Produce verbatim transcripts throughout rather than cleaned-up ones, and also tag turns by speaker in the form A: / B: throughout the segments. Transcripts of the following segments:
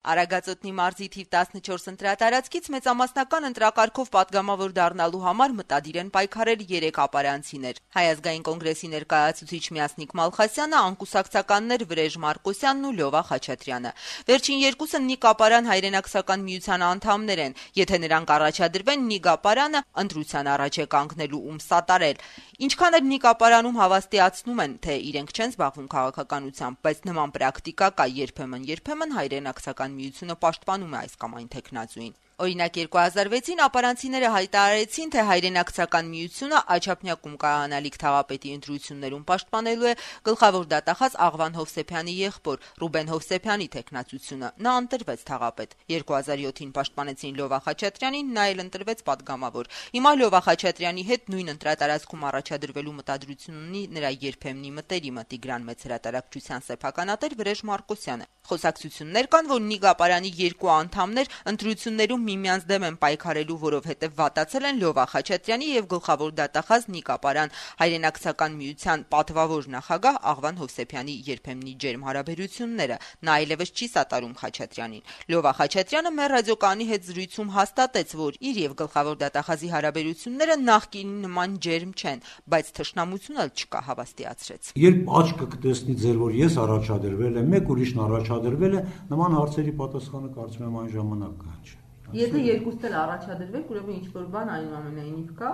A: Արագածոտնի մարզի թիվ տասնչորս ընտրատարածքից մեծամասնական ընտրակարգով պատգամավոր դառնալու համար մտադիր են պայքարել երեք ապարանցիներ։ Հայ ազգային կոնգրեսի ներկայացուցիչ Մյասնիկ Մալխասյանը, անկուսակցականներ Վրեժ Մարկոսյանն ու Լյովա Խաչատրյանը։ Վերջին երկուսը Նիկ ապարան հայրենաքսական միության անդամներ են։ Եթե նրանք առաջադրվեն, Նիկ ապարանը ընտրության առաջ է կանգնելու ում սատարել։ Ինչքան էլ Նիկ ապարանում հավաստիացնում են, թե իրենք չեն զբաղվում քաղաքականությամբ, բայց նման պրակտիկա կա երբեմն-երբեմն հայրենաքսական միությունը պաշտպանում է այս կամ այն թեկնածուին։ Օրինակ երկու հազար վեցին ապարանցիները հայտարարեցին, թե հայրենաքսական միությունը Աչափնյակում կայանալիք թաղապետի ընտրություններում պաշտպանելու է գլխավոր դատախազ Աղվան Հովսեփյանի եղբոր Ռուբեն Հովսեփյանի թեկնածությունը։ Նա ընտրվեց թաղապետ։ երկու հազար յոթին պաշտպանեցին Լյովա Խաչատրյանին, նա էլ ընտրվեց պատգամավոր։ Հիմա Լյովա Խաչատրյանի հետ նույն ընտրատարածքում առաջադրվելու մտադրություն ունի նրա երբեմնի մտերիմը Տիգրան Մեծ հրատարակչության սեփականատեր Վրեժ Մարկոսյանը։ Խոսակցություններ կան, որ Նիկ ապարանի երկու անդամներ ընտրություններում միմյանց դեմ են պայքարելու, որովհետև վատացել են Լյովա Խաչատրյանի եւ գլխավոր դատախազ Նիկ ապարան հայրենաքսական միության պատվավոր նախագահ Աղվան Հովսեփյանի երբեմնի ջերմ հարաբերությունները։ Նա այլևս չի սատարում Խաչատրյանին։ Լյովա Խաչատրյանը մեր ռադիոկայանի հետ զրույցում հաստատեց, որ իր եւ գլխավոր դատախազի հարաբերությունները նախկինի նման ջերմ չեն, բայց թշնամություն էլ չկա, հավաստիացրեց։
B: Երբ աչքը կտեսնի ձեր, որ ես առաջադրվել եմ, մեկ ուրիշն առաջադրվել է, նման հարցերի պատասխանը կարծում եմ այն ժամանակ կհանջի։
A: Եթե երկուսն էլ առաջադրվեք, ուրեմն ինչ-որ բան այնուամենայնիվ կա։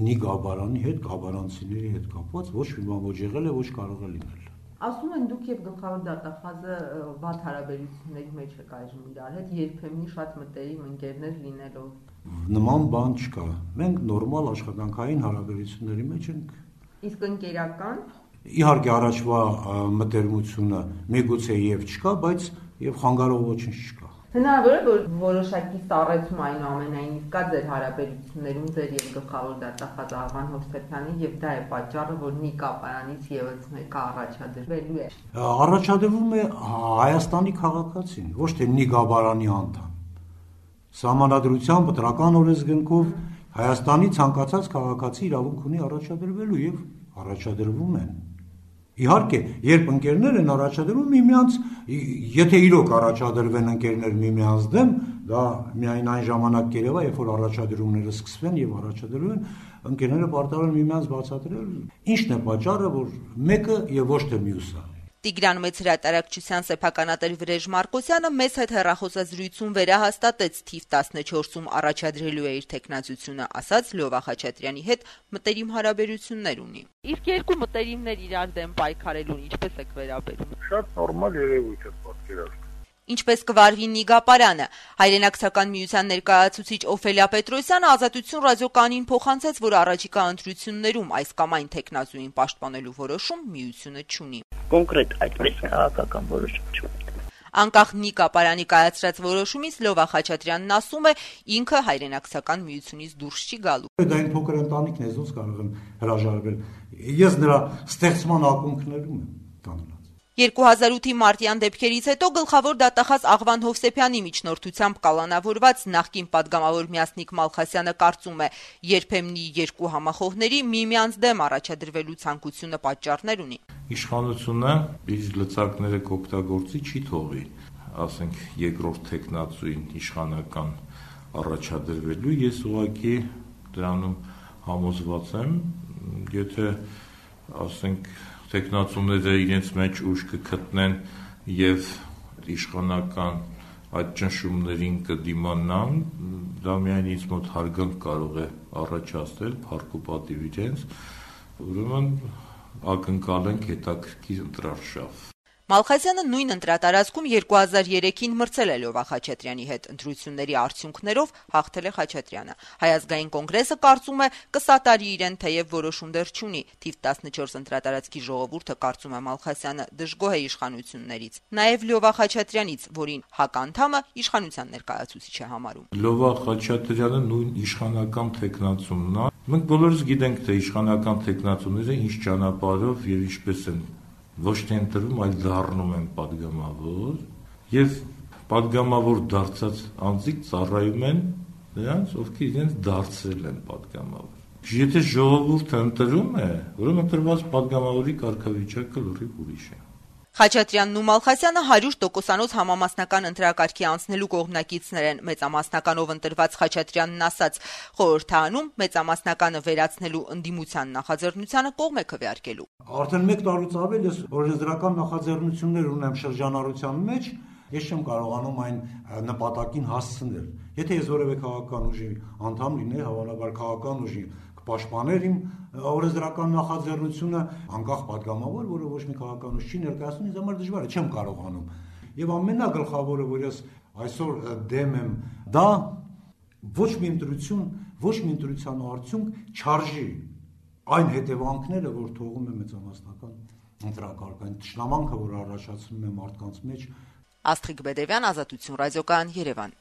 B: Նիկ ապարանի հետ, ապարանցիների հետ կապված ոչ մի բան ոչ եղել է, ոչ կարող է լինել։
A: Ասում են դուք եւ գլխավոր դատախազը վատ հարաբերությունների մեջ եք այժմ իրար հետ, երբեմնի շատ մտերիմ ընկերներ լինելով։
B: Նման բան չկա։ Մենք նորմալ աշխատանքային հարաբերությունների մեջ ենք։
A: Իսկ ընկերական։
B: Իհարկե առաջվա մտերմությունը միգուցե եւ չկա, բայց եւ խանգարող ոչինչ չկա։
A: Հնարավոր է, որ որոշակի սառեցում այնուամենայնիվ կա ձեր հարաբերություններում ձեր եւ գլխավոր դատախազ Աղվան Հովսեփյանի եւ դա է պատճառը, որ Նիկ ապարանից եւս մեկը առաջադրվելու է։
B: Առաջադրվում է Հայաստանի քաղաքացին, ոչ թե Նիկ ապարանի անդամ։ Սահմանադրությամբ պատրական օրենսգրքով Հայաստանի ցանկացած քաղաքացի իրավունք ունի առաջադրվելու եւ առաջադրվում են։ Իհարկե, երբ ընկերներ են առաջադրվում միմյանց, եթե իրոք առաջադրվեն ընկերներ միմյանց դեմ, դա միայն այն ժամանակ կերևա, երբ որ առաջադրումները սկսվեն եւ առաջադրվեն, ընկերները պարտավոր են միմյանց բացատրել, ինչն է պատճառը, որ մեկը եւ ոչ թե մյուսը։
A: Տիգրան Մեծ հրատարակչության սեփականատեր Վրեժ Մարկոսյանը մեծ հետ հեռախոսազրույցում վերահաստատեց թիվ տասնչորսում առաջադրելու է իր թեկնածությունը, ասաց Լյովա Խաչատրյանի հետ մտերիմ հարաբերություններ ունի։ Իսկ երկու մտերիմներ իրար դեմ պայքարելուն ինչպես եք վերաբերում։
C: Շատ նորմալ երևույթ է պատկերացնում։
A: Ինչպես կվարվի Նիկ ապարանը, հայրենաքսական միության ներկայացուցիչ Օֆելիա Պետրոսյանը Ազատություն ռադիոկայանին փոխանցեց, որ առաջիկա ընտրություններում այս կամ այն թեկնածուին պաշտպանելու որոշում միությունը չունի։
D: Կոնկրետ այդպես քաղաքական որոշում չունի։
A: Անկախ Նիկ ապարանի կայացրած որոշումից Լյովա Խաչատրյանն ասում է, ինքը հայրենաքսական միությունից դուրս չի գալու։
B: Դա այն փոքր ընտանիքն է, ոնց կարող եմ հրաժարվել։ Ես նրա ստեղծման ակունքներում եմ կանգնած։
A: երկու հազար ութի մարտյան դեպքերից հետո գլխավոր դատախազ Աղվան Հովսեփյանի միջնորդությամբ կալանավորված նախկին պատգամավոր Մյասնիկ Մալխասյանը կարծում է, երբեմնի երկու համախոհների միմյանց դեմ առաջադրվելու ցանկությունը պատճառներ ունի։
E: Իշխանությունը իր լծակները կօգտագործի չի թողի, ասենք երկրորդ թեկնածուին իշխանական առաջադրվելու, ես ուղղակի դրանում համոզված եմ, եթե ասենք տեխնացուները իրենց մեջ ուժ կգտնեն եւ իշխանական այդ ճնշումներին կդիմանան, դա միայն ինձ մոտ հարգանք կարող է առաջացնել, փառք ու պատիվ իրենց, ուրեմն ակնկալենք հետաքրքիր ընտրարշավ։
A: Մալխասյանը նույն ընտրատարածքում երկու հազար երեքին մրցել է Լյովա Խաչատրյանի հետ, ընտրությունների արդյունքներով հաղթել է Խաչատրյանը։ Հայ ազգային կոնգրեսը կարծում է կսատարի իրեն, թեև որոշում դեռ չունի։ Թիվ տասնչորս ընտրատարածքի ժողովուրդը կարծում է Մալխասյանը դժգոհ է իշխանություններից, նաև Լյովա Խաչատրյանից, որին ՀԱԿ անդամը իշխանության ներկայացուցիչ է համարում։
E: Լյովա Խաչատրյանը նույն իշխանական թեկնածումն է։ Մենք բոլորս գիտենք, թե իշխանական թեկնածուները ինչ ճանապարհով եւ ինչպես են ոչ թե ընտրվում, այլ դառնում են պատգամավոր եւ պատգամավոր դարձած անձիկ ծառայում են նրանց, ովքեր իրենց դարձրել են պատգամավոր։ Եթե ժողովուրդը ընտրում է, ուրեմն ընտրված պատգամավորի կարգավիճակը լրիվ ուրիշ է։
A: Խաչատրյանն ու Մալխասյանը հարյուր տոկոսանոց համամասնական ընտրակարգի անցնելու կողմնակիցներ են։ Մեծամասնականով ընտրված Խաչատրյանն ասաց, խորհրդարանում մեծամասնականը վերացնելու ընդդիմության նախաձեռնությանը կողմ է քվեարկելու։
B: Արդեն մեկ տարուց ավել ես օրենսդրական նախաձեռնություններ ունեմ շրջանառության մեջ, ես չեմ կարողանում այն նպատակին հասցնել։ Եթե ես որևէ քաղաքական ուժի անդամ լինեի, հավանաբար քաղաքական ուժի պաշտպաներ իմ օրենսդրական նախաձեռնությունը, անկախ պատգամավոր, որը ոչ մի քաղաքական ուժ չի ներկայացնում, ինձ համար դժվար է, չեմ կարողանում։ Եվ ամենագլխավորը, որ ես այսօր դեմ եմ, դա ոչ մի ընտրություն, ոչ մի ընտրության արդյունք չարժի այն հետևանքները, որ թողում է մեծամասնական ընտրակարգ, այն թշնամանքը, որ առաջացնում է մարդկանց մեջ։
A: Աստղիկ Բեդևյան, Ազատություն ռադիոկայան, Երևան։